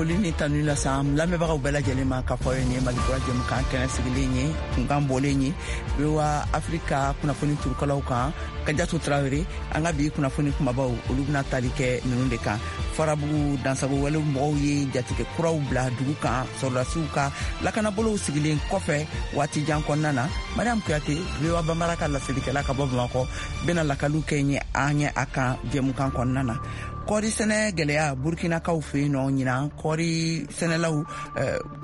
Foli ni tanu lase an lamɛnbagaw bɛɛ lajɛlen ma k'a fɔ ye nin ye Malikura jɛmukan kɛnɛ sigilen ye, kunkan bɔlen ye VOA Afrika kunnafoni turukalaw kan. Kajatu Tarawele, an ka bi kunnafoni kumabaw, olu bɛna tali kɛ ninnu de kan: Farabugu dansago wale mɔgɔw ye jatigɛ kuraw bila dugu kan, sɔrɔdasiw ka lakanabolow sigilen kɔfɛ waati jan kɔnɔna na. Mariam Kuyate, VOA Bambara ka laselikɛla ka bɔ Bamakɔ, bɛna lakaliw kɛ ɲɛ an ye a kan jɛmukan kɔnɔna na. Kɔɔri sɛnɛ gɛlɛya Burkinakaw fɛ yen nɔ ɲinan, kɔɔri sɛnɛlaw,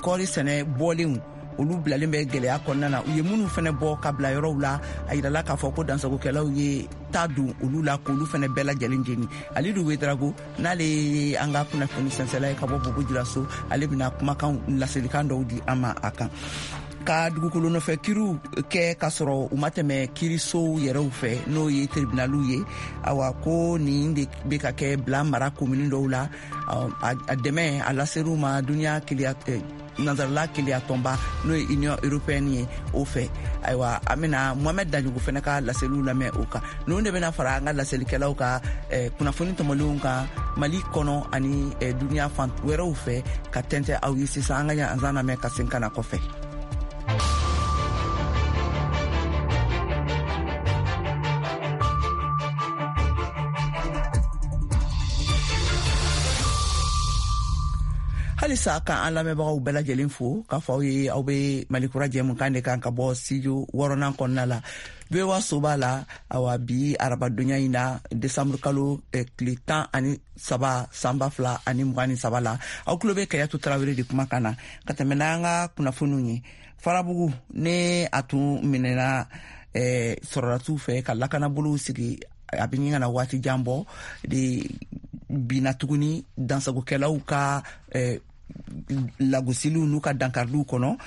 kɔɔri sɛnɛ bɔlenw, olu bilalen bɛ gɛlɛya kɔnɔna na. U ye minnu fɛnɛ bɔ ka bila yɔrɔw la, a yirala k'a fɔ ko dansagokɛlaw ye ta don olu la k'olu fɛnɛ bɛɛ lajɛlen jeni. Alidu Wedrago, n'ale ye an ka kunnafoni sɛnsɛla ye ka bɔ Bobo Julaso, ale bɛna kumakan laselikan dɔw di an ma a kan. Ka dugukolo nɔfɛ kiriw kɛ k'a sɔrɔ u ma tɛmɛ kirisow yɛrɛw fɛ, n'o ye tribunaliw ye, awa ko nin de bɛ ka kɛ Bila mara komini dɔw la. A dɛmɛ a laser'u ma duniya kiliya nansarala keleya tɔnba, n'o ye Union européenne ye, o fɛ. Ayiwa, an bɛna Mohamɛd Daɲogo fɛnɛ ka laseliw lamɛn o kan. Ninnu de bɛna fara an ka laselikɛlaw ka kunnafoni tɔmɔlenw kan Mali kɔnɔ ani duniya fan wɛrɛw fɛ ka tɛntɛ aw ye sisan. An ka ɲanzan lamɛn ka sen ka na kɔfɛ. Halisa ka an lamɛnbagaw bɛɛ lajɛlen fo k'a fɔ aw ye aw bɛ Malikura jɛmukan de kan ka bɔ studio wɔɔrɔnan kɔnɔna la, VOA soba la. Awa, bi arabadonya in na, desanburu kalo tile 13, san 2023 la, aw tulo bɛ Kayatu Tarawele de kumakan na ka tɛmɛ n'an ka kunnafoniw ye. Farabugu ne a tun minɛna sɔrɔdasiw fɛ ka lakanabolow sigi, a bɛ ɲin ka na waati jan bɔ de, binna tuguni dansagokɛlaw ka lagosiliw n'u ka dankariliw kɔnɔ.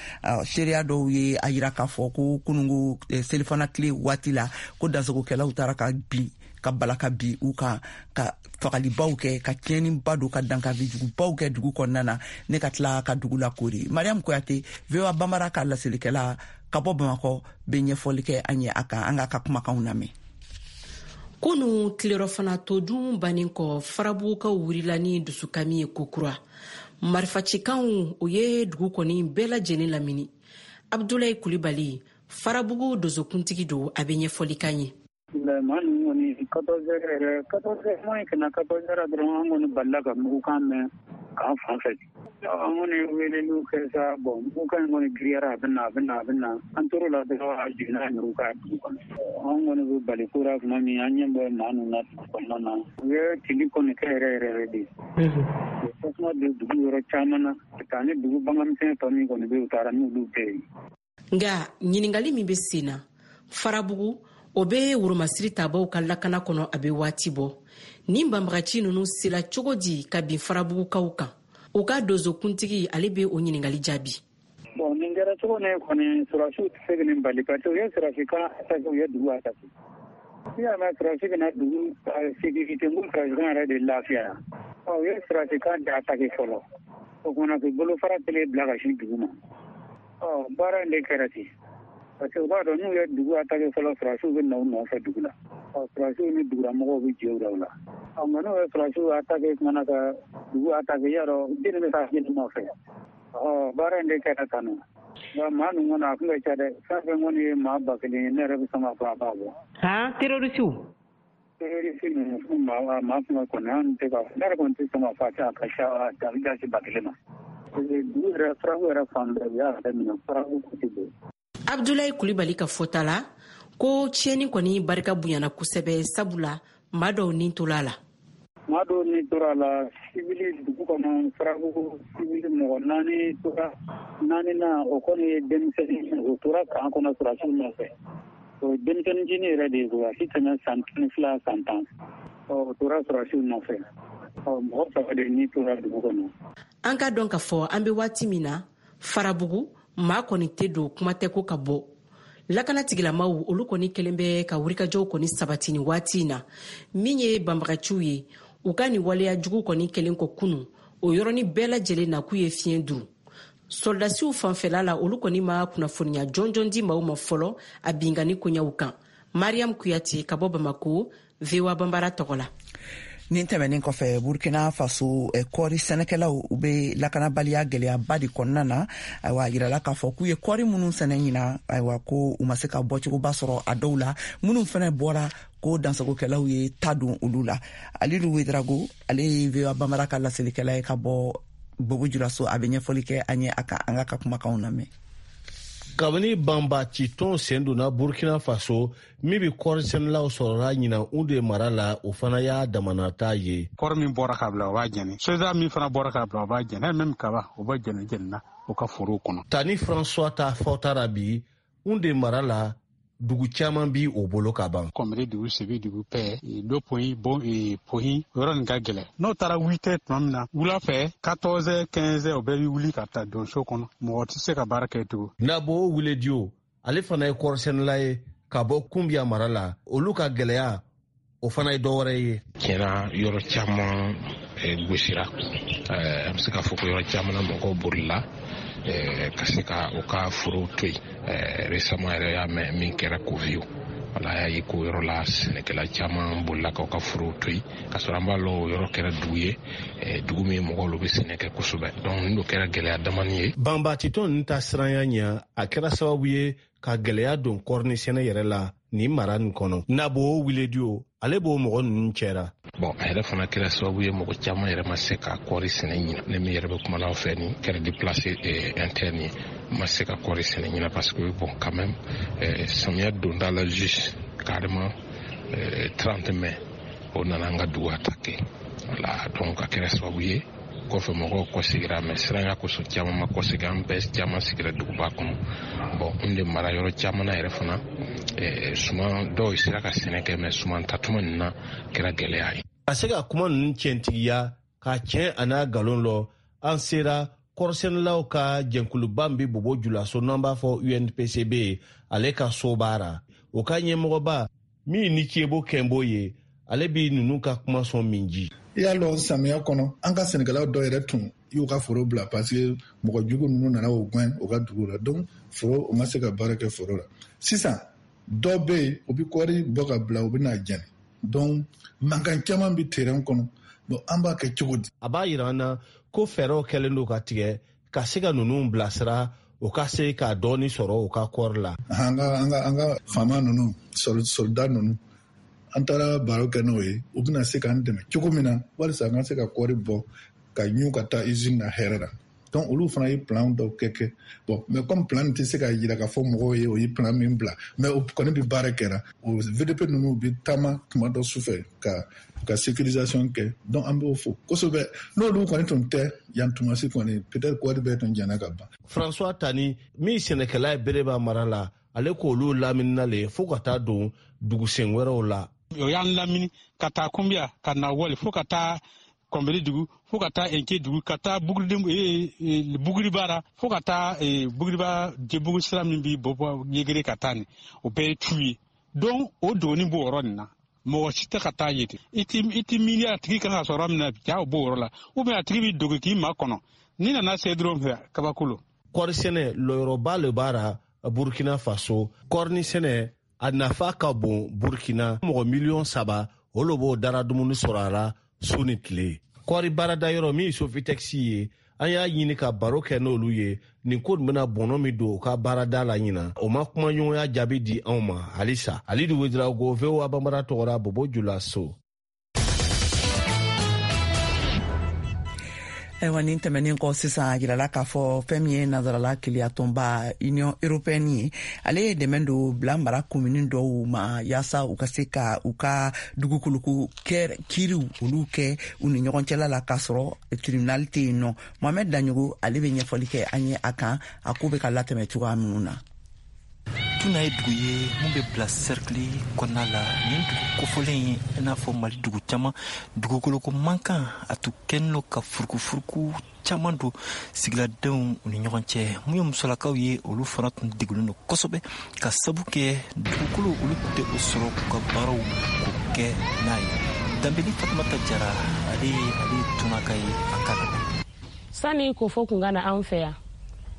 Seereya dɔw ye a yira k'a fɔ ko kunungo selifana tile waati la, ko dansagokɛlaw taara ka bin ka bala ka bi u kan, ka fagalibaw kɛ, ka tiɲɛniba don, ka dankarili jugubaw kɛ dugu kɔnɔna na, ne ka tila ka dugu lakori. Mariam Koyate, VOA Bambara ka laselikɛla ka bɔ Bamakɔ, bɛ ɲɛfɔli kɛ an ye a kan. An k'a ka kumakanw lamɛn. Kunu tilerɔfana to dun bannen kɔ, Farabugukaw wurila ni dusukami ye kokura. Marifacikanw o ye dugu kɔni bɛɛ lajɛlen lamini. Abdulayi Kulibali, Farabugu dozokuntigi don, a bɛ ɲɛfɔli k'an ye. Maa ninnu kɔni, 14 heures yɛrɛ, 14 heures moins ka na 14 heures dɔrɔn, an kɔni balila ka mugukan mɛn k'an fan fɛ. An kɔni ye weleliw kɛ sa. Bon, mugukan in kɔni giriyara, a bɛ na, a bɛ na, a bɛ na. An tor'o la dɔrɔn, a jiginna an yɛrɛw kan dugu kɔnɔ. An kɔni bɛ bali ko la tuma min, an ɲɛ bɛ maa ninnu na dugu kɔnɔna na. U ye tili kɔni kɛ yɛrɛ yɛrɛ yɛrɛ de. U ye tasuma don dugu yɔrɔ caman na ka taa ni dugu baganmisɛn tɔ min kɔni bɛ yen, u taara n'olu bɛɛ ye. Nka ɲininkali min bɛ sen na, Farabugu o bɛ woromasiri tabaw ka lakana kɔnɔ a bɛ waati bɔ. Nin banbagaci ninnu sela cogo di ka bin Farabugukaw kan? U ka dozokuntigi, ale bɛ o ɲininkali jaabi. Bon, nin kɛra cogo min kɔni, sɔrɔdasiw tɛ se ka nin bali, parce que u ye sɔrɔdasi camp attaqué, u ye dugu attaqué. N'i y'a mɛn sɔrɔdasi bɛna dugu sécurité, n ko sɔrɔdasi camp yɛrɛ de lafiya yan. Ɔ, u ye sɔrɔdasi camp de attaqué fɔlɔ, o kumana k'u bolofara kelen bila ka sin dugu ma. Ɔ, baara in de kɛra ten, parce que u b'a dɔn n'u ye dugu attaqué fɔlɔ, sɔrɔdasiw bɛ na u nɔfɛ dugu la. Ɔ, sɔrɔdasiw ni dugulamɔgɔw bɛ jɛ u la o la. Ɔ, nka n'u ye sɔrɔdasiw attaqué kumana ka dugu attaqué, y'a dɔn jeli bɛ taa jeli nɔfɛ. Ɔ, baara in de kɛra tan nɔ. Nka maa ninnu kɔni, a tun ka ca dɛ. Fɛn fɛn kɔni ye maa 1000 ye, ne yɛrɛ bɛ sɔn k'a fɔ a b'a bɔ. Han, terrorisiw? Terroriste ninnu, maa tun ka kɔni, an tɛ ka, ne yɛrɛ kɔni tɛ sɔn k'a fɔ a tɛ, a ka ca, a bɛ taa se 1000 ma. Dugu yɛrɛ, Farabu yɛrɛ fan bɛɛ, u y'a bɛɛ minɛ, Farabu côté bɛɛ. Abdulayi Kulibali ka fɔta la, ko tiɲɛni kɔni barika bonyana kosɛbɛ, sabula maa dɔw ni tola a la. Maa dɔw ni tora a la, sibili dugu kɔnɔ, Farabugu sibili mɔgɔ naani tora. Naani na, o kɔni ye denmisɛnnin, o tora camp kɔnɔ sɔrɔdasiw nɔfɛ. O ye denmisɛnnin fitinin yɛrɛ de ye koyi, a si tɛmɛ san 12, san 10. Ɔ, o tora sɔrɔdasiw nɔfɛ. Ɔ, mɔgɔ saba de ni tora dugu kɔnɔ. An ka dɔn k'a fɔ an bɛ waati min na Farabugu, maa kɔni tɛ don, kuma tɛ ko ka bɔ. Lakana tigilamaw, olu kɔni kɛlen bɛ ka wulikajɔw kɔni sabati ni waati in na. Min ye banbagaciw ye, u ka nin waleya jugu kɔni kɛlen kɔ kunu, o yɔrɔnin bɛɛ lajɛlen na k'u ye fiɲɛ duru. Sɔrɔdasiw fanfɛla la, olu kɔni ma kunnafoniya jɔnjɔn di maaw ma fɔlɔ a binkanni koɲɛw kan. Mariam Kuyate ka bɔ Bamako, VOA Bambara tɔgɔ la. Nin tɛmɛnen kɔfɛ, Burkina Faso kɔɔri sɛnɛkɛlaw, u be lakanabaliya gɛlɛyaba de kɔnɔna na. Ayiwa, a yirala k'a fɔ k'u ye kɔɔri minnu sɛnɛ ɲina, ayiwa, ko u ma se ka bɔcogoba sɔrɔ a dɔw la. Minnu fɛnɛ bɔra, ko dansagokɛlaw ye ta don olu la. Alidu Wedrago, ale ye VOA Bambara ka laselikɛla ye ka bɔ Bobo Julaso, a bɛ ɲɛfɔli kɛ an ye a kan. An ka kumakanw lamɛn. Kabini banbacitɔn sen donna Burkina Faso, min bɛ kɔɔrisɛnɛlaw sɔrɔla ɲinan Unde mara la, o fana y'a damanata ye. Kɔɔri min bɔra ka bila, o b'a jɛni. Soja min fana bɔra ka bila, o b'a jɛni. Même kaba, o b'a jɛni jɛnina o ka forow kɔnɔ. Tani François ta fɔta ra bi, Unde mara la, dugu caman bi o bolo ka ban. Kɔmiri dugu, Sebi dugu, pɛ do poyi bon poyi, yɔrɔ nin ka gɛlɛn. N'o taara 8 heures tuma min na wula fɛ, 14 heures, 15 heures, o bɛɛ bɛ wuli ka taa don so kɔnɔ. Mɔgɔ tɛ se ka baara kɛ tugun. Nabo Wuledio, ale fana ye kɔɔrisɛnɛla ye ka bɔ Kunbiya mara la. Olu ka gɛlɛya, o fana ye dɔwɛrɛ ye. Tiɲɛna, yɔrɔ caman gosira. An bɛ se k'a fɔ ko yɔrɔ caman na, mɔgɔw bolila ka se ka u ka forow to yen. Récemment yɛrɛ, y'a mɛn min kɛra Koviou, wala y'a ye ko yɔrɔ la, sɛnɛkɛla caman bolila k'u ka forow to yen, k'a sɔrɔ an b'a lɔn o yɔrɔ kɛra dugu ye, dugu min mɔgɔw olu bɛ sɛnɛ kɛ kosɛbɛ. Donc nin do kɛra gɛlɛya damani ye. Banbacitɔn ninnu ta siranya ɲɛ, a kɛra sababu ye ka gɛlɛya don kɔɔri sɛnɛ yɛrɛ la nin mara nin kɔnɔ. Nabo Wuledio, ale b'o mɔgɔ ninnu cɛra. Bon, a yɛrɛ fana kɛra sababu ye, mɔgɔ caman yɛrɛ ma se ka kɔɔri sɛnɛ ɲina. Ne min yɛrɛ bɛ kuma n'aw fɛ, nin kɛra déplacé interne ye, ma se ka kɔɔri sɛnɛ ɲina, parce que bon, quand même, samiya donda la, juste carrément 30 mai, o nana an ka dugu attaqué. Voilà, donc a kɛra sababu ye kɔfɛ mɔgɔw kɔsegira, mais siranya kosɔn caman ma kɔsegin. An bɛɛ caman sigira duguba kɔnɔ. Bon, n de mara yɔrɔ caman na yɛrɛ fana, suman dɔw sera ka sɛnɛ kɛ, mais suman tatuma nin na kɛra gɛlɛya ye. Ka se ka kuma ninnu tiɲɛtigiya ka tiɲɛ a n'a nkalon lɔ, an sera kɔɔrisɛnɛlaw ka jɛnkuluba min bɛ Bobo Julaso, n'an b'a fɔ UNPCB, ale ka soba ra. O ka ɲɛmɔgɔba min ni Cebo Kɛnbo ye, ale bi ninnu ka kuma sɔn min ji. I y'a lɔn, samiya kɔnɔ, an ka sɛnɛkɛlaw dɔ yɛrɛ tun y'u ka foro bila, parce que mɔgɔ jugu ninnu nana o gɛn u ka dugu la. Donc foro, u ma se ka baara kɛ foro la. Sisan dɔw bɛ yen, u bɛ kɔɔri bɔ ka bila, u bɛ n'a jɛni. Donc mankan caman bɛ terrain kɔnɔ. Bon, an b'a kɛ cogo di? A b'a yira an na ko fɛɛrɛw kɛlen don ka tigɛ ka se ka ninnu bilasira, o ka se ka dɔɔni sɔrɔ u ka kɔɔri la. An ka faama ninnu, soldat ninnu, an taara baro kɛ n'o ye. U bɛna se k'an dɛmɛ cogo min na walisa an ka se ka kɔɔri bɔ ka ɲu ka taa usine na hɛrɛ la. Donc olu fana ye plan dɔw kɛ. Bon, mais comme plan tɛ se ka yira ka fɔ mɔgɔw ye o ye plan min bila, mais o kɔni bɛ baara kɛra. O VDP ninnu bɛ taama tuma dɔ sufɛ ka sécurisation kɛ. Donc an b'o fo kosɛbɛ. N'olu kɔni tun tɛ yan tumasi kɔni, peut-être kɔɔri bɛɛ tun jɛna ka ban. François Tani min sɛnɛkɛla ye Bereba mara la, ale k'olu laminina le fo ka taa don dugusen wɛrɛw la. O y'an lamini ka taa Kunbiya, ka na Wali, fo ka taa Kɔnbiri dugu, fo ka taa Enke dugu, ka taa Buguribara, fo ka taa Buguriba Jebugu sira min bi bɔ Yegere ka taa nin, o bɛɛ ye tu ye. Donc o doni b'o yɔrɔ nin na, mɔgɔ si tɛ ka taa yen. I ti miiri a tigi kan ka sɔrɔ min na, ja o b'o yɔrɔ la, ou bien a tigi b'i dogo k'i ma kɔnɔ. N'i nana se dɔrɔn fɛ, kabako lo. Kɔɔri sɛnɛ, lɔyɔrɔba le b'a ra Burkina Faso. Kɔɔri sɛnɛ, a nafa ka bon Burkina. Mɔgɔ miliyɔn 3, o lo b'o dara dumuni sɔrɔ a la su ni tile. Kɔɔri baarada yɔrɔ min ye Sofitex ye, an y'a ɲini ka baro kɛ n'olu ye nin ko nin bɛna bɔnɔ min don u ka baarada la ɲina. O ma kumaɲɔgɔnya jaabi di anw ma halisa. Alidu Wedirago, VOA Banbara tɔgɔra, Bobo Julaso. Ayiwa, nin tɛmɛnen kɔ, sisan a yirala k'a fɔ fɛn min ye nansarala keleyatɔnba Union européenne ye, ale ye dɛmɛ don bila mara komini dɔw ma yaasa u ka se ka u ka dugukoloko kiriw olu kɛ u ni ɲɔgɔn cɛla la, k'a sɔrɔ tribunal tɛ yen nɔ. Mohamɛd Daɲogo, ale bɛ ɲɛfɔli kɛ an ye a kan, a ko bɛ ka latɛmɛ cogoya minnu na. Tuna ye dugu ye mun bɛ bila sɛrikili kɔnɔna la. Nin dugu kofɔlen ye, i n'a fɔ Mali dugu caman, dugukoloko mankan a tun kɛlen don ka furukufuruku caman don sigiladenw u ni ɲɔgɔn cɛ. Mun ye musolakaw ye, olu fana tun degunnen don kosɛbɛ ka sabu kɛ dugukolo olu tun tɛ o sɔrɔ k'u ka baaraw k'o kɛ n'a ye. Danbeli Fatumata Jara, ale ye Tunaka ye, a ka Sani kofo kun ka na an fɛ yan,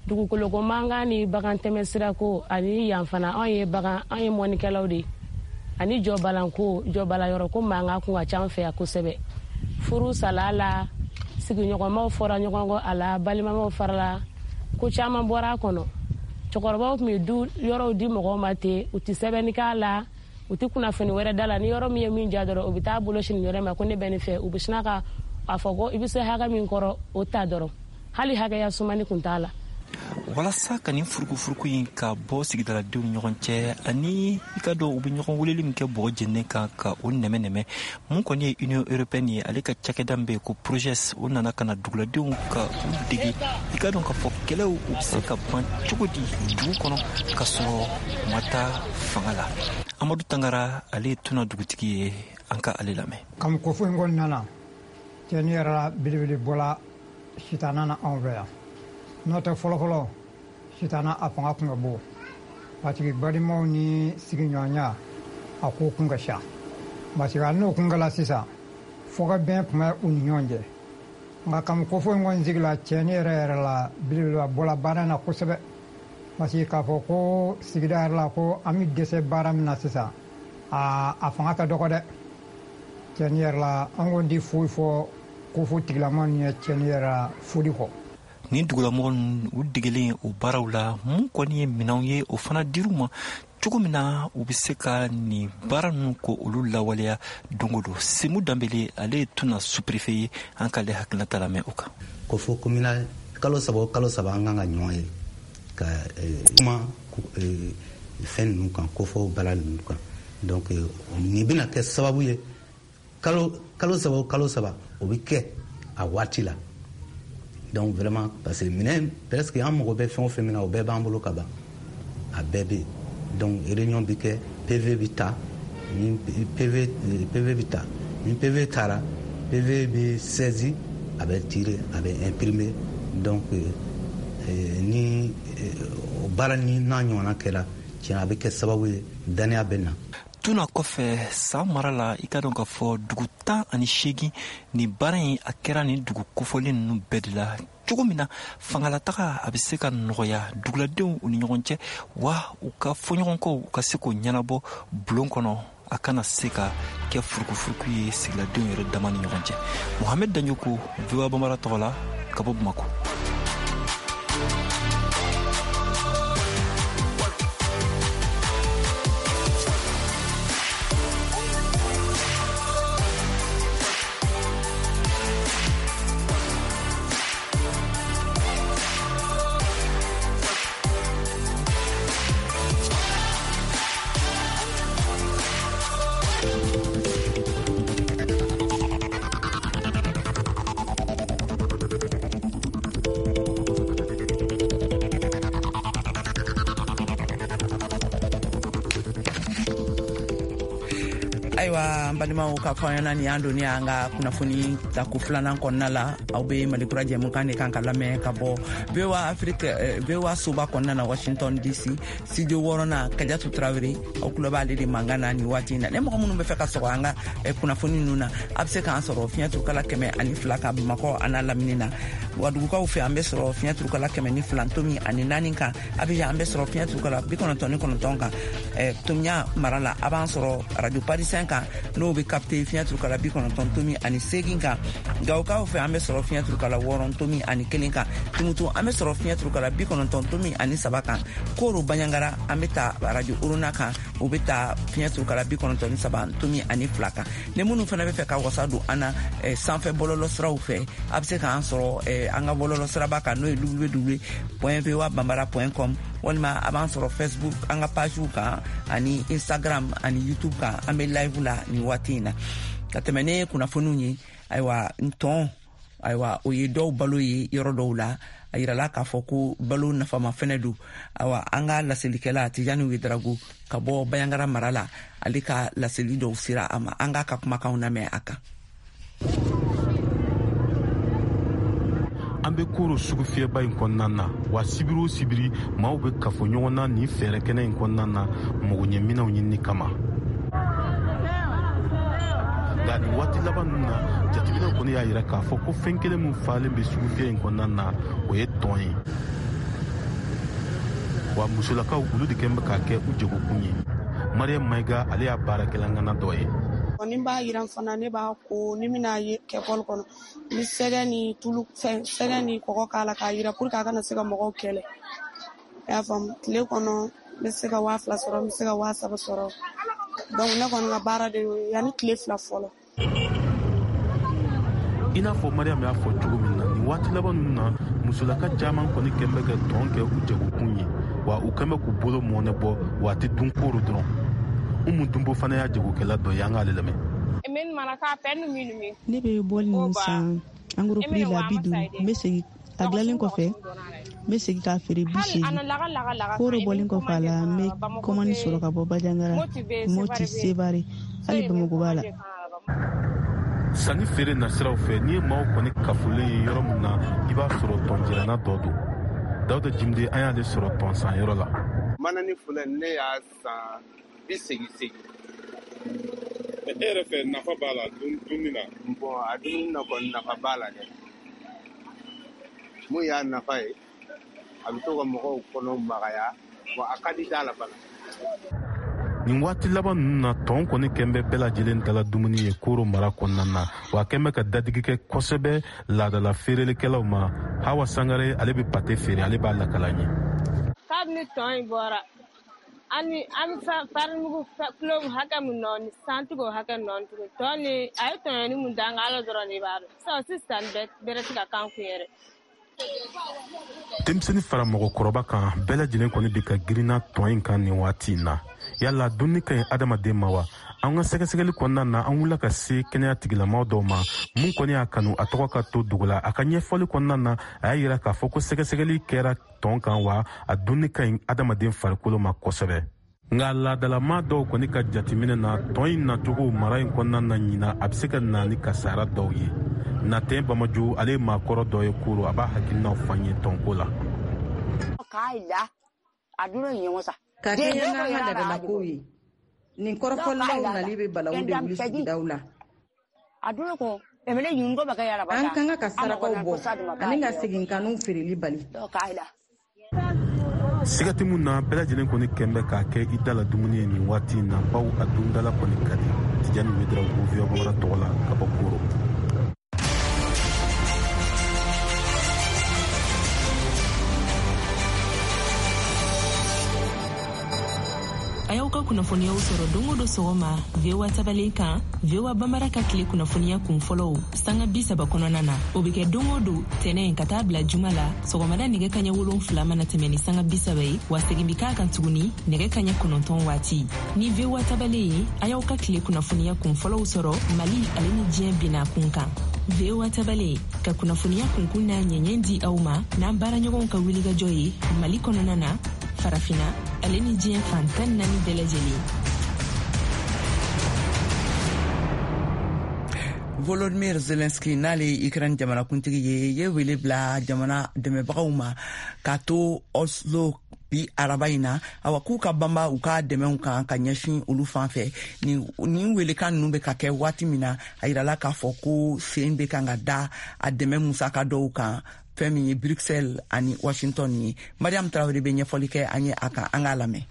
dugukoloko mankan ni bagan tɛmɛ sirako ani yan fana, anw ye bagan, an ye mɔnikɛlaw de, ani jɔbalanko, jɔbala yɔrɔ ko mankan kun ka ca an fɛ yan kosɛbɛ. Furu sala la, sigiɲɔgɔnmaw fɔra ɲɔgɔn kɔ a la, balimamaw farala, ko caman bɔra a kɔnɔ. Cɛkɔrɔbaw tun bɛ du yɔrɔw di mɔgɔw ma ten, u tɛ sɛbɛnni k'a la, u tɛ kunnafoni wɛrɛ da la. Ni yɔrɔ min ye min diya dɔrɔn, u bɛ taa bolo sini yɔrɔ ma ko ne bɛ nin fɛ, u bɛ sina ka a fɔ ko i bɛ se hakɛ min kɔrɔ o ta dɔrɔn, hali hakɛya sumani kun t'a la. Walasa ka nin furukufuruku in ka bɔ sigidaladenw ni ɲɔgɔn cɛ, ani i ka dɔn u bɛ ɲɔgɔn weleli min kɛ bɔgɔ jeninen kan ka o nɛmɛ-nɛmɛ, mun kɔni ye Union européenne ye, ale ka cakɛda min bɛ yen ko Progès, o nana ka na duguladenw ka u dege i ka dɔn k'a fɔ kɛlɛw u bɛ se ka ban cogo di dugu kɔnɔ ka sɔrɔ u ma taa fanga la. Amadu Tangara, ale ye Tuna dugutigi ye, an ka ale lamɛn. Kami kofo in kɔni nana cɛni yɛrɛ la belebele bɔla sitana na anw fɛ yan. N'o tɛ fɔlɔfɔlɔ sitana a fanga kun ka bon, parce que balimaw ni sigiɲɔgɔnya a ko kun ka ca, parce que hali n'o kun kɛla sisan fɔkabɛn tun bɛ u ni ɲɔgɔn cɛ. Nka kami kofo in kɔni sigila cɛni yɛrɛ yɛrɛ la belebeleba bɔla baara in na kosɛbɛ, parce que k'a fɔ ko sigida yɛrɛ la ko an bɛ dɛsɛ baara min na sisan, a fanga ka dɔgɔ dɛ. Cɛni yɛrɛ la an kɔni tɛ foyi fɔ kofo tigilama ninnu ye cɛni yɛrɛ la foli kɔ. Nin dugulamɔgɔ ninnu u degelen o baaraw la, mun kɔni ye minɛnw ye, o fana dir'u ma cogo min na u bɛ se ka nin baara ninnu ko olu lawaleya don o don. Semu Danbele, ale ye Tuna sous-préfet ye, an k'ale hakilinata lamɛn o kan. Kofo communal kalo saba o kalo saba an kan ka ɲɔgɔn ye ka kuma fɛn ninnu kan, kofo baara ninnu kan. Donc nin bɛna kɛ sababu ye kalo saba o kalo saba o bɛ kɛ a waati la. Donc vraiment, parce que minɛn presque an mago bɛ fɛn o fɛn min na, o bɛɛ b'an bolo ka ban, a bɛɛ bɛ yen. Donc réunion bɛ kɛ, PV bɛ ta, ni PV bɛ ta, ni PV taara, PV bɛ saisi, a bɛ tirer, a bɛ imprimer. Donc ni o baara ni n'a ɲɔgɔnna kɛra, tiɲɛ a bɛ kɛ sababu ye danaya bɛ na. Tuna kɔfɛ san mara la, i ka dɔn k'a fɔ dugu 18 nin baara in a kɛra nin dugu kofɔlen ninnu bɛɛ de la, cogo min na fangalataga a bɛ se ka nɔgɔya duguladenw u ni ɲɔgɔn cɛ, wa u ka fɔɲɔgɔnkɔw u ka se k'o ɲɛnabɔ bulon kɔnɔ, a kana se ka kɛ furukufuruku ye sigiladenw yɛrɛ dama ni ɲɔgɔn cɛ. Mohamed Danjoko, VOA Bambara tɔgɔ la, ka bɔ Bamako. Ayiwa an balimaw, k'a fɔ an ɲɛna nin y'an donni an ka kunnafoni tako filanan kɔnɔna la. Aw be Malikura jɛmukan de kan ka lamɛn ka bɔ VOA Afrique, VOA soba kɔnɔna na Washington DC, studio wɔɔrɔnan. Kajatu Tarawele, aw tulo b'ale de mankan na nin waati in na. Ne mɔgɔ minnu bɛ fɛ ka sɔgɔ an ka kunnafoni ninnu na, a bɛ se k'an sɔrɔ fiɲɛ turukala 102 kan Bamakɔ a n'a lamini na. Wagadugukaw fɛ, an bɛ sɔrɔ fiɲɛ turukala 102.4 kan. Abijan, an bɛ sɔrɔ fiɲɛ turukala 99 kan. Tomiya mara la, a b'an sɔrɔ radio Parisien kan, n'o bɛ capter fiɲɛ turukala 90.8 kan. Gawokaw fɛ, an bɛ sɔrɔ fiɲɛ turukala 6.1 kan. Tumutu, an bɛ sɔrɔ fiɲɛ turukala 90.3 kan. Koro Baɲangara, an bɛ ta radio Orona kan, o bɛ ta fiɲɛ turukala 93.2 kan. Ni minnu fana bɛ fɛ ka wasa don an na sanfɛ bɔlɔlɔ siraw fɛ, a bɛ se k'an sɔrɔ an ka bɔlɔlɔ siraba kan, n'o ye www.voabambara.com, walima a b'an sɔrɔ Facebook an ka pagew kan, ani Instagram ani YouTube kan. An bɛ live la nin waati in na. Ka tɛmɛ ne kunnafoniw ye, ayiwa ntɔn, ayiwa o ye dɔw balo ye yɔrɔ dɔw la. A yirala k'a fɔ ko balo nafama fɛnɛ don. Ayiwa an ka laselikɛla Tijani Wedarago ka bɔ Bayangara mara la, ale ka laseli dɔw sera a ma. An k'a ka kumakanw lamɛn a kan. An bɛ Koro sugufiyɛba in kɔnɔna na, wa sibiri o sibiri maaw bɛ kafo ɲɔgɔn na nin fɛɛrɛ kɛnɛ in kɔnɔna na magoɲɛminɛnw ɲinini kama. Nka nin waati laban ninnu na, jateminɛw kɔni y'a yira k'a fɔ ko fɛn kelen min falen bɛ sugufiyɛ in kɔnɔna na, o ye tɔn ye. Wa musolakaw olu de kɛn bɛ k'a kɛ u jagokun ye. Mariam Mayiga, ale y'a baarakɛla ŋana dɔ ye. Ni n b'a yiran fana, ne b'a ko, ni n bɛna kɛ bɔli kɔnɔ, n bɛ sɛgɛ ni tulu fɛn, sɛgɛ ni kɔgɔ k'a la k'a yiran pour que a kana se ka mɔgɔw kɛlɛ. I y'a faamu, tile kɔnɔ n bɛ se ka 2000 sɔrɔ, n bɛ se ka 3000 sɔrɔ. Donc ne kɔni ka baara de y'o ye yanni tile 2 fɔlɔ. I n'a fɔ Mariam y'a fɔ cogo min na, nin waati laban ninnu na, musolaka caman kɔni kɛn bɛ ka tɔn kɛ u jagokun ye, wa u kɛn bɛ k'u bolo mɔnɛ bɔ, wa a tɛ dun koro dɔrɔn. Umu Dunbo fana y'a jagokɛla dɔ ye, an k'ale lamɛn. Ne bɛ bɔli ninnu san en gros prix la 50, n bɛ segin a dilanlen kɔfɛ, n bɛ segin k'a feere 80. Koro bɔlen kɔfɛ a la, n bɛ kɔmani sɔrɔ ka bɔ Banjagara, Moti, Sevare, hali Bamakɔ b'a la. Sanni feere nasiraw fɛ, n'i ye maaw kɔni kafolen ye yɔrɔ min na, i b'a sɔrɔ tɔnjirana dɔ don. Dawuda Jimde, an y'ale sɔrɔ tɔn san yɔrɔ la. Manani filɛ, ne y'a san 80. E yɛrɛ fɛ, nafa b'a la dumuni na? Bon, a dumuni na kɔni, nafa b'a la dɛ. Mun y'a nafa ye, a bɛ to ka mɔgɔw kɔnɔ magaya, wa a ka di da la fana. Nin waati laban ninnu na, tɔn kɔni kɛn bɛ bɛɛ lajɛlen dala dumuni ye Koro mara kɔnɔna na, wa a kɛn bɛ ka dadigi kɛ kosɛbɛ laadala feerelikɛlaw ma. Hawa Sangare, ale bɛ pate feere, ale b'a lakala an ye. Kabini tɔn in bɔra, an bɛ farimugu kilo hakɛ min nɔ, santigiw hakɛ nɔ tugun. Tɔn ni a ye tɔɲɔni mun d'an kan, Ala dɔrɔn de b'a dɔn. Sisan sisan bɛrɛ tɛ ka k'an kun yɛrɛ. Denmisɛnnin fara mɔgɔkɔrɔba kan, bɛɛ lajɛlen kɔni bi ka girinna tɔn in kan nin waati in na. Yala dumuni ka ɲi adamaden ma wa? An ka sɛgɛsɛgɛli kɔnɔna na, an wulila ka se kɛnɛya tigilamaw dɔw ma. Mun kɔni y'a kanu a tɔgɔ ka to dogo la, a ka ɲɛfɔli kɔnɔna na, a y'a yira k'a fɔ ko sɛgɛsɛgɛli kɛra tɔn kan, wa a dumuni ka ɲi adamaden farikolo ma kosɛbɛ. Nka laadalama dɔw kɔni ka jateminɛ na, tɔn in nacogo mara in kɔnɔna na ɲina, a bɛ se ka na ni kasara dɔw ye. Natɛn Bamajo, ale ye maakɔrɔ dɔ ye Koro, a b'a hakilinaw fɔ an ye tɔnko la. Ka kɛɲɛ n'an ka laadalakow ye, nin kɔrɔfɔlilaw nali bɛ balawu de wuli sigidaw la. An ka kan ka sarakaw bɔ ani ka seginkanniw feereli bali. Siga tɛ mun na, bɛɛ lajɛlen kɔni kɛn bɛ k'a kɛ i da la dumuni ye nin waati in na, bawo a dundala kɔni ka di. Tijani Wederawogo, VOA Bambara tɔgɔ la ka bɔ Koro. A y'aw ka kunnafoniyaw sɔrɔ don o don sɔgɔma VOA tabalen kan, VOA Bambara ka tile kunnafoniya kun fɔlɔw sanga 30 kɔnɔna na. O bɛ kɛ don o don tɛnɛ ka taa bila juma la, sɔgɔmada nɛgɛ kaɲɛ 7 mana tɛmɛ ni sanga 30 ye, wa segin bɛ k'a kan tuguni nɛgɛ kaɲɛ 9 waati. Ni VOA tabalen ye, a y'aw ka tile kunnafoniya kun fɔlɔw sɔrɔ Mali ale ni diɲɛ binna kun kan. VOA tabalen ka kunnafoniya kunkun n'a ɲɛɲɛ di aw ma n'an baaraɲɔgɔnw ka wulikajɔ ye Mali kɔnɔna na, Farafina ale ni diɲɛ fan 14 bɛɛ lajɛlen. Volodymyr Zelensky, n'ale ye Ukraine jamanakuntigi ye, ye wele bila jamana dɛmɛbagaw ma k'a to Oslo bi araba in na, awa k'u ka banba u ka dɛmɛw kan ka ɲɛsin olu fan fɛ. Nin welekan ninnu bɛ ka kɛ waati min na, a yirala k'a fɔ ko sen bɛ kan ka da a dɛmɛ musaka dɔw kan, fɛn min ye Bruxelles ani Washington ye. Mariam Traoré bɛ ɲɛfɔli kɛ an ye a kan, an k'a lamɛn.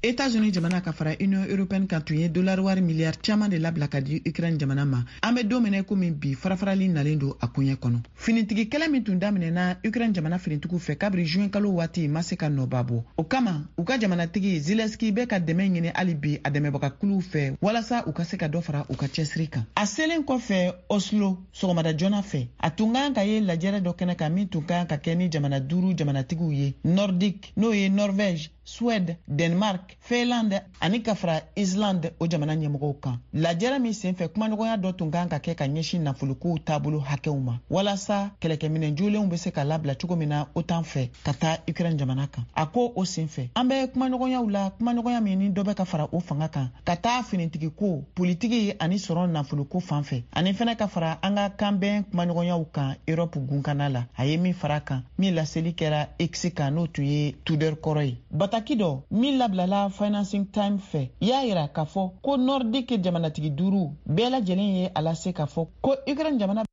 États-Unis jamana ka fara Union européenne kan tun ye dollar wari miliyari caman de labila ka di Ukraine jamana ma. An bɛ don min na komi bi, farafarali nalen don a koɲɛ kɔnɔ. Finitigi kɛlɛ min tun daminɛna Ukraine jamana finitigiw fɛ kabiri juin kalo waati ma se ka nɔba bɔ. O kama, u ka jamanatigi Zelensky bɛ ka dɛmɛ ɲini hali bi a dɛmɛbagakuluw fɛ walasa u ka se ka dɔ fara u ka cɛsiri kan. A selen kɔfɛ Oslo sɔgɔmada joona fɛ, a tun kan ka ye lajɛrɛ dɔ kɛnɛ kan min tun kan ka kɛ ni jamana duuru jamanatigiw ye Nordique, n'o ye Norvège, Suède, Danemark, Finlande ani ka fara Islande o jamana ɲɛmɔgɔw kan. Lajɛrɛ min senfɛ, kumaɲɔgɔnya dɔ tun kan ka kɛ ka ɲɛsin nafolokow taabolo hakɛw ma walasa kɛlɛkɛminɛn jolenw bɛ se ka labila cogo min na OTAN fɛ ka taa Ukraine jamana kan. A ko o senfɛ, an bɛ kumaɲɔgɔnyaw la, kumaɲɔgɔnya min ni dɔ bɛ ka fara o fanga kan ka taa finitigiko, politiki ani sɔrɔ nafoloko fan fɛ, ani fɛnɛ ka fara an ka kanbɛn kumaɲɔgɔnyaw kan Europe gunkana la. A ye min fara kan, min laseli kɛra X kan, n'o tun ye Twitter kɔrɔ ye. Bataki dɔ min labilala Financing Times fɛ y'a yira k'a fɔ ko Nordique jamanatigi duuru bɛɛ lajɛlen ye a lase k'a fɔ ko Ukraine jamana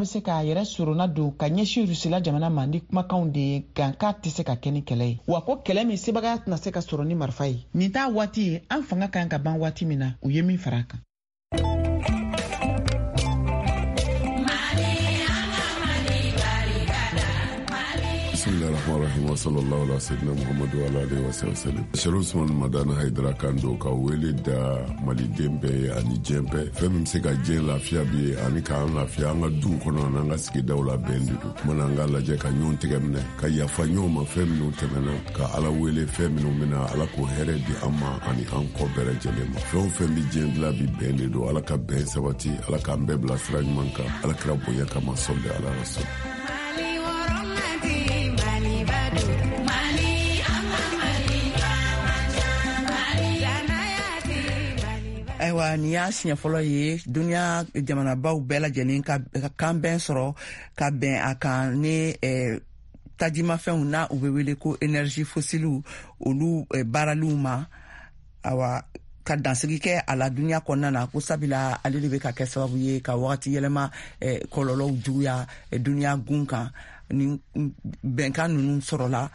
bɛ se k'a yɛrɛ sorona don ka ɲɛsin Rusila jamana ma ni kumakanw de ye, nka k'a tɛ se ka kɛ ni kɛlɛ ye, wa ko kɛlɛ min sebagaya tɛna se ka sɔrɔ ni marifa ye. Nin t'a waati ye, an fanga kan ka ban waati min na, u ye min fara a kan. Bismillahirrahmanirrahim wa sallallahu ala sayyidina Muhammadu wa ala alihi wa sallam. Sherif Usman Madani Haidara kan don ka wele da maliden bɛɛ ye ani diɲɛ bɛɛ. Fɛn min bɛ se ka diɲɛ lafiya bi ye ani k'an lafiya an ka duw kɔnɔ ani an ka sigidaw la, bɛn de don. Mana an ka lajɛ ka ɲɔgɔn tɛgɛ minɛ, ka yafa ɲɔgɔn ma fɛn minnu tɛmɛna, ka Ala wele fɛn minnu bɛna, Ala k'o hɛrɛ di an ma ani an kɔ bɛɛ lajɛlen ma. Fɛn o fɛn bɛ diɲɛ dilan bi, bɛn de don. Ala ka bɛn sabati, Ala k'an bɛɛ bila sira ɲuman kan, Ala kira bonya kama, sɔli ala rasul. Ayiwa, nin y'a siɲɛ fɔlɔ ye duniya jamanabaw bɛɛ lajɛlen ka kanbɛn sɔrɔ ka bɛn a kan ni tajimafɛnw n'a u bɛ wele ko énergie fossilew, olu baaraliw ma, awa ka dansigi kɛ a la duniya kɔnɔna na, ko sabula ale de bɛ ka kɛ sababu ye ka wagati yɛlɛma kɔlɔlɔw juguya duniya gun kan. Ni bɛnkan ninnu sɔrɔla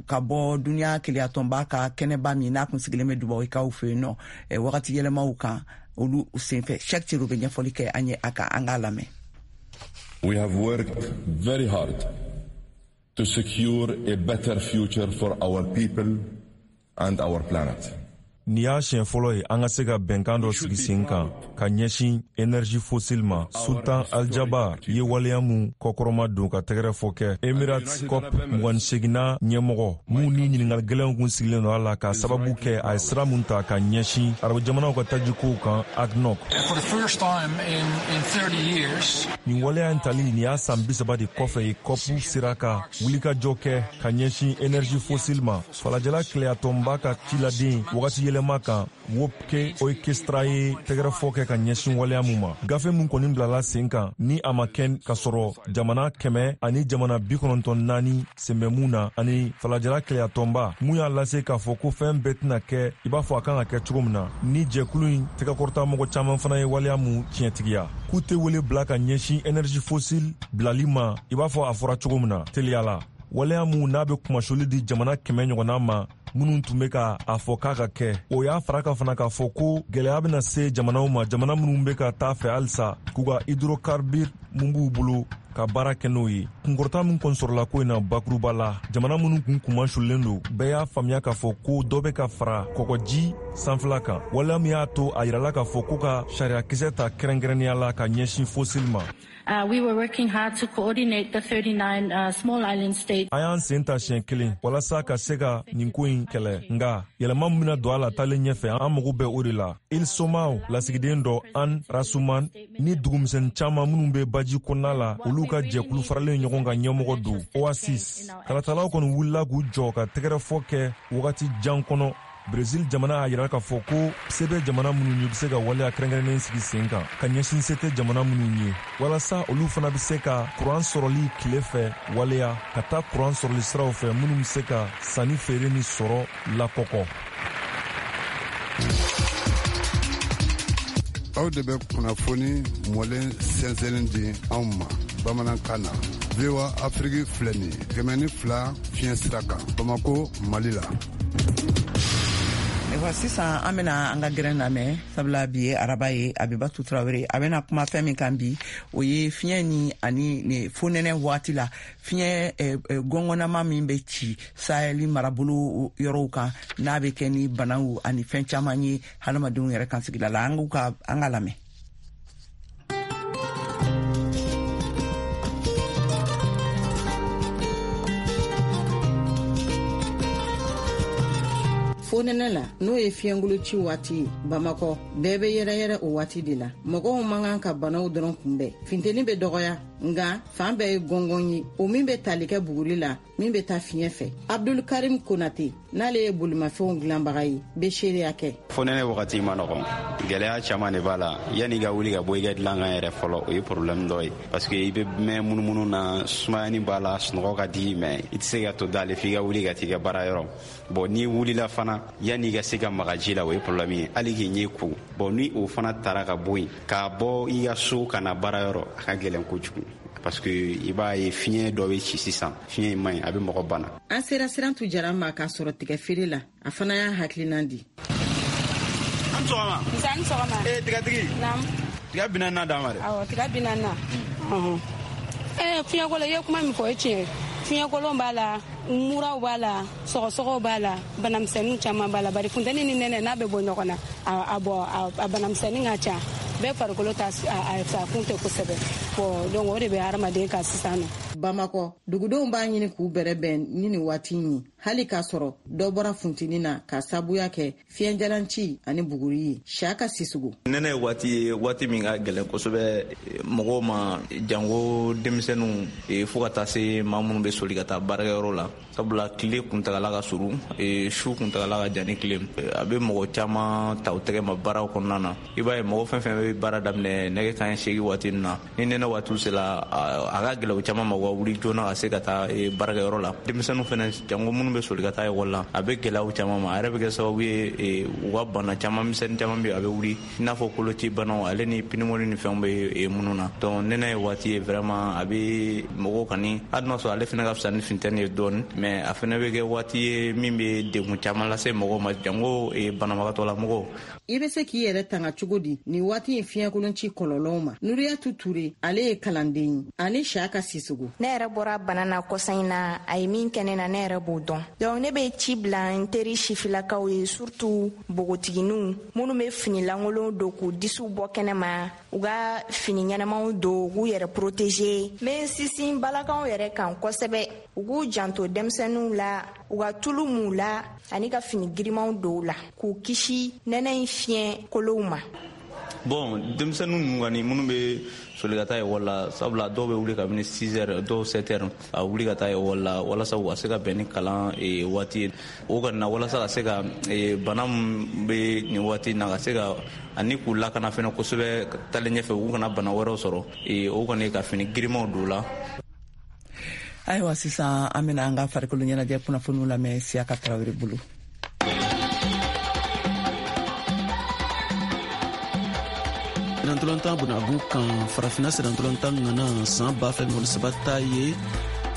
ka bɔ duniya keleyatɔnba ka kɛnɛba min n'a kun sigilen bɛ Dubayikaw fɛ yen nɔ wagati yɛlɛmaw kan, olu senfɛ. Cheick Cero bɛ ɲɛfɔli kɛ an ye a kan, an k'a lamɛn. We have worked very hard to secure a better future for our people and our planet. Nin y'a siɲɛ fɔlɔ ye an ka se ka bɛnkan dɔ sigi sen kan ka ɲɛsin énergie fossile ma. Sultan Aljaba ye waleya mun kɔkɔrɔma don ka tɛgɛrɛ fɔ kɛ Emirates COP 28nan ɲɛmɔgɔ mun ni ɲiningali gɛlɛnw kun sigilen don a la, k'a sababu kɛ a ye sira mun ta ka ɲɛsin arabu jamanaw ka tajikow kan ADNOC. Nin waleya in tali nin y'a san 30 de kɔfɛ ye COP sera ka wulikajɔ kɛ ka ɲɛsin énergie fossile ma. Falajɛla keleyatɔnba ka ciladen wagati yɛlɛma kan Wopke Hoekstra ye tɛgɛrɛfɔ kɛ ka ɲɛsin waleya mun ma. Gafe mun kɔni bilala sen kan ni a ma kɛ ka sɔrɔ jamana 100 ani jamana 94 sen bɛ mun na, ani falajɛla keleyatɔnba mun y'a lase k'a fɔ ko fɛn bɛɛ tɛna kɛ i b'a fɔ a kan ka kɛ cogo min na, ni jɛkulu in tɛgɛkɔrɔta mɔgɔ caman fana ye waleya mun tiɲɛtigiya, k'u tɛ wele bila ka ɲɛsin énergie fossile bilali ma i b'a fɔ a fɔra cogo min na teliya la. Waleya mun n'a bɛ kumasuli di jamana 100 ɲɔgɔnna ma minnu tun bɛ ka a fɔ k'a ka kɛ, o y'a fara kan fana k'a fɔ ko gɛlɛya bɛna se jamanaw ma, jamana minnu bɛ ka taa fɛ halisa k'u ka hydrocarbure mun b'u bolo ka baara kɛ n'o ye. Kunkɔrɔta min kɔni sɔrɔla ko in na bakuruba la, jamana minnu kun kunmasulen don, bɛɛ y'a faamuya k'a fɔ ko dɔ bɛ ka fara kɔgɔji sanfɛla kan, waleya min y'a to a yirala k'a fɔ ko ka sariyakisɛ ta kɛrɛnkɛrɛnnenya la ka ɲɛsin fossile ma. We were working hard to coordinate the 39 small island states. An y'an sen ta siɲɛ kelen walasa ka se ka nin ko in kɛlɛ, nga yɛlɛma min bɛna don a la taalen ɲɛfɛ, an mago bɛ o de la. Îles Somaw lasigiden dɔ Anne Rasuman ni dugumisɛnnin caman minnu bɛ baji kɔnɔna la, olu ka jɛkulu faralen ɲɔgɔn kan ɲɛmɔgɔ don Oasis. Kalatalaw kɔni wulila k'u jɔ ka tɛgɛrɛfɔ kɛ wagati jan kɔnɔ. Brésil jamana y'a yira k'a fɔ ko se bɛ jamana minnu ye, bɛ se ka waleya kɛrɛnkɛrɛnnen sigi sen kan ka ɲɛsin se tɛ jamana minnu ye, walasa olu fana bɛ se ka kuran sɔrɔli tile fɛ waleya ka taa kuran sɔrɔli siraw fɛ minnu bɛ se ka sanni feere ni sɔrɔ lakɔkɔ. Aw de bɛ kunnafoni mɔlen sɛnsɛnlen di anw ma bamanankan na. VOA Afiriki filɛ nin ye 102 fiɲɛ sira kan, Bamako, Mali la. Ayiwa, sisan an bena an ka gɛrɛn lamɛn, sabula bi ye araba ye. Abibatu Tarawele a bena kuma fɛn min kan bi, o ye fiɲɛ ni ani fonɛnɛ waati la fiɲɛ gɔngɔnama min bɛ ci Saheli marabolo yɔrɔw kan, n'a bɛ kɛ ni banaw ani fɛn caman ye hadamadenw yɛrɛ kan sigida la. An ka lamɛn. Fonɛnɛ la, n'o ye fiɲɛgolo ci waati ye Bamakɔ, bɛɛ bɛ yɛrɛyɛrɛ o waati de la. Mɔgɔw man kan ka banaw dɔrɔn kunbɛn, funteni bɛ dɔgɔya, nga fan bɛɛ ye gɔngɔn ye, o min bɛ tali kɛ buguri la min bɛ taa fiɲɛ fɛ. Abdul Karim Konate, n'ale ye bolimafɛnw dilanbaga ye, bɛ seereya kɛ. Fonɛnɛ wagati ma nɔgɔn, gɛlɛya caman de b'a la. Yanni i ka wuli ka bɔ i ka dilan kan yɛrɛ fɔlɔ, o ye problème dɔ ye, parce que i bɛ mɛn munumunu na, sumayani b'a la, sunɔgɔ ka di, mais i tɛ se ka to dale f'i ka wuli ka t'i ka baara yɔrɔ. Bon, n'i wulila fana, yanni i ka se ka maga ji la, o ye problème ye, hali k'i ɲɛ ko. Bon, ni o fana tara ka bɔ yen, k'a bɔ i ka so ka na baara yɔrɔ, a ka gɛlɛn kojugu. Parce que i b'a ye fiɲɛ dɔ bɛ ci sisan, fiɲɛ in man ɲi, a bɛ mɔgɔ bana. An sera Sirantu Jara ma k'a sɔrɔ tigɛ feere la, a fana y'a hakilinan di. An sɔgɔma. Nse, an sɔgɔma. Ee, tigatigi. Naamu. Tiga 40 d'an ma dɛ. Awɔ, tiga 40. Fiɲɛkolo, i ye kuma min fɔ, o ye tiɲɛ ye. Fiɲɛkolon b'a la, muraw b'a la, sɔgɔsɔgɔw b'a la, banamisɛnninw caman b'a la. Bari funteni ni nɛnɛ n'a bɛ bɔ ɲɔgɔn na, a banamisɛnnin ka ca. Bɛɛ farikolo ta a kun tɛ kosɛbɛ. Bon, donc o de bɛ hadamaden kan sisan nɔ. Bamakɔ, dugudenw b'a ɲini k'u bɛrɛbɛn ni nin waati in ye, hali k'a sɔrɔ dɔ bɔra funteni na k'a sabuya kɛ fiɲɛjalanci ani buguri ye. Siyaka Sisugu. Nɛnɛ ye waati ye, waati min ka gɛlɛn kosɛbɛ mɔgɔw ma, janko denmisɛnninw, fo ka taa se maa minnu bɛ soli ka taa baarakɛyɔrɔ la, sabula tile kuntagala ka surun, su kuntagala ka jan ni tile. A bɛ mɔgɔ caman ta u tɛgɛ ma baaraw kɔnɔna na. I b'a ye mɔgɔ fɛn fɛn bɛ baara daminɛ nɛgɛ kanɲɛ 8 waati ninnu na, ni nɛnɛ waatiw sera, a ka gɛlɛn u caman ma u ka wuli joona ka se ka taa baarakɛyɔrɔ la. Denmisɛnninw fɛnɛ, janko minnu bɛ soli ka taa ekɔli la, a bɛ gɛlɛyaw caman ma. A yɛrɛ bɛ kɛ sababu ye u ka bana caman misɛnnin caman bɛ, a bɛ wuli, i n'a fɔ koloci banaw ale ni pneumonie ni fɛnw bɛ minnu na. Donc nɛnɛ ye waati ye vraiment, a bɛ mɔgɔw kani, hali n'a sɔrɔ ale fɛnɛ ka fisa ni funteni ye dɔɔni, mais a fɛnɛ bɛ kɛ waati ye min bɛ degun caman lase mɔgɔw ma, janko banabagatɔla mɔgɔw. I bɛ se k'i yɛrɛ tanga cogo di nin waati in fiɲɛkolonci kɔlɔlɔw ma? Nuriyatu Ture, ale ye kalanden ye, ani Siyaka Sisugu. Ne yɛrɛ bɔra bana na kɔsa in na, a ye min kɛ ne na, ne yɛrɛ b'o dɔn. Donc ne bɛ ci bila n teri sifilakaw ye, surtout npogotigininw minnu bɛ fini lankolon don k'u disiw bɔ kɛnɛ ma, u ka fini ɲɛnamaw don k'u yɛrɛ protéger. N bɛ n sinsin balakaw yɛrɛ kan kosɛbɛ, u k'u janto denmisɛnninw la, u ka tulu m'u la ani ka fini girimanw don u la k'u kisi nɛnɛ in fiɲɛ kolow ma. Bon, denmisɛnninw ninnu kɔni minnu bɛ soli ka taa ekɔli la, sabula dɔw bɛ wuli kabini 6 heures, dɔw 7 heures, a wuli ka taa ekɔli la walasa u ka se ka bɛn ni kalan waati ye. O kɔni na, walasa ka se ka bana min bɛ nin waati in na, ka se ka ani k'u lakana fɛnɛ kosɛbɛ taalen ɲɛfɛ, u kana bana wɛrɛw sɔrɔ, o kɔni ka fini girimanw don u la. Ayiwa, sisan an bɛna an ka farikolo ɲɛnajɛ kunnafoniw lamɛn Siyaka Tarawele bolo. Sennantolatan bunagu kan, farafina sennantolatan ŋana san 2023 ta ye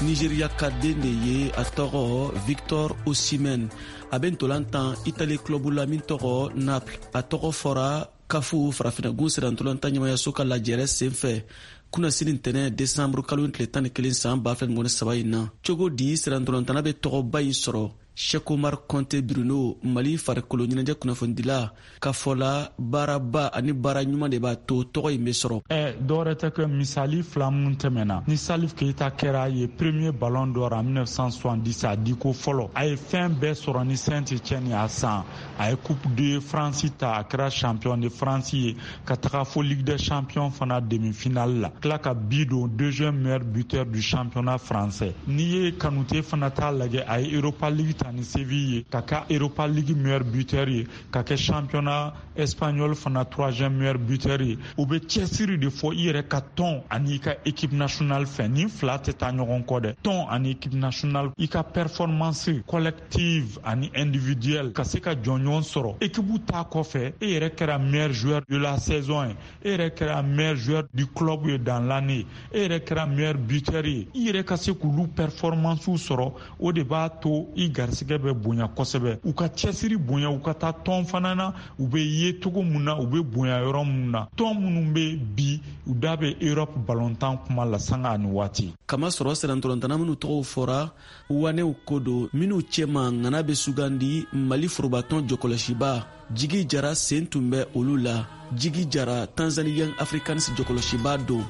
Nigeria ka den de ye, a tɔgɔ Victor Osimhen. A bɛ ntolan tan Italie club la min tɔgɔ Naples. A tɔgɔ fɔra kafu farafinagun sennantolatan ɲɛmayaso ka lajɛrɛ senfɛ kunasini ntɛnɛ desanburu kalo tile 11 san 2023 in na. Cogo di sennantolatanna bɛ tɔgɔba in sɔrɔ? Cheikh Omar Conte Bruno, Mali farikolo ɲɛnajɛ kunnafonidila ka fɔ la, baaraba ani baara ɲuman de b'a to tɔgɔ in bɛ sɔrɔ. Dɔwɛrɛ tɛ kɛ misali fila minnu tɛmɛna ni Salif Keita kɛra ye premier ballon d'or en 1970, a di ko fɔlɔ, a ye fɛn bɛɛ sɔrɔ ni Saint-Etienne a san, a ye coupe de France ta, a kɛra champion de France ye ka taga fo Ligue des champions fana demi-finale la, tila ka bi don deuxième meilleur buteur du championnat français. N'i ye Kanute fana t'a lajɛ, a ye Europa League ta ni Séville ye, ka kɛ Europa League meilleur buteur ye, ka kɛ championnat espagnol fana troisième meilleur buteur ye. U bɛ cɛsiri de fɔ i yɛrɛ ka tɔn ani i ka équipe nationale fɛ, nin fila tɛ taa ɲɔgɔn kɔ dɛ. Tɔn ani équipe nationale, i ka performance collective ani individuelle ka se ka jɔnjɔn sɔrɔ. Équipe ta kɔfɛ, e yɛrɛ kɛra meilleur joueur de la saison ye, e yɛrɛ kɛra meilleur joueur du club ye dans l'année, e yɛrɛ kɛra meilleur buteur ye. I yɛrɛ ka se k'olu performance sɔrɔ, o de b'a to i garisigɛ bɛ bonya kosɛbɛ. U ka cɛsiri bonya, u ka taa tɔn fana na, u bɛ ye cogo mun na, u bɛ bonya yɔrɔ mun na. Tɔn minnu bɛ bi, u da bɛ Europe ballontan kuma la sanga ani waati. Kamasɔrɔ sennantolatanna minnu tɔgɔw fɔra, wanew ko don minnu cɛma ŋana bɛ sugandi Mali forobatɔn jɔkɔlɔsiba Jigi Jara sen tun bɛ olu la. Jigi Jara, Tanzanie Young Africans jɔkɔlɔsiba don.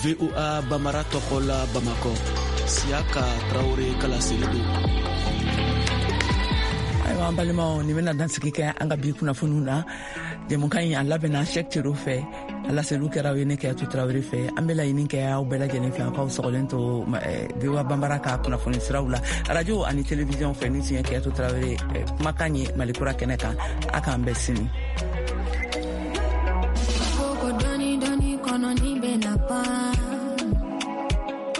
VOA Bamara tɔgɔ la Bamakɔ, Siyaka Tarawele ka laseli don. Ayiwa, an balimaw, nin bɛna dansigi kɛ an ka bi kunnafoniw na. Jɛmukan in a labɛnna Shɛk Cero fɛ, a laseliw kɛra aw ye ne Kɛyatu Tarawele fɛ. An bɛ laɲini kɛ aw bɛɛ lajɛlen fɛ, aw k'aw sɔgɔlen to VOA Banbara ka kunnafoni siraw la, radio ani télévision fɛ. Ni tun ye Kɛyatu Tarawele kumakan ye Mali kura kɛnɛ kan. A k'an bɛn sini.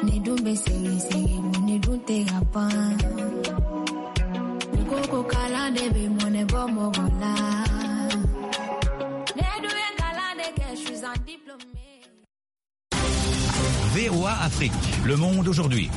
Ni dun bɛ segin segin, ni dun tɛ ka ban. Ko kalan de bɛ mɔnɛ bɔ mɔgɔ la. Ne dun ye kalan de kɛ, je suis un diplômé. VOA Afrique, le monde aujourd'hui.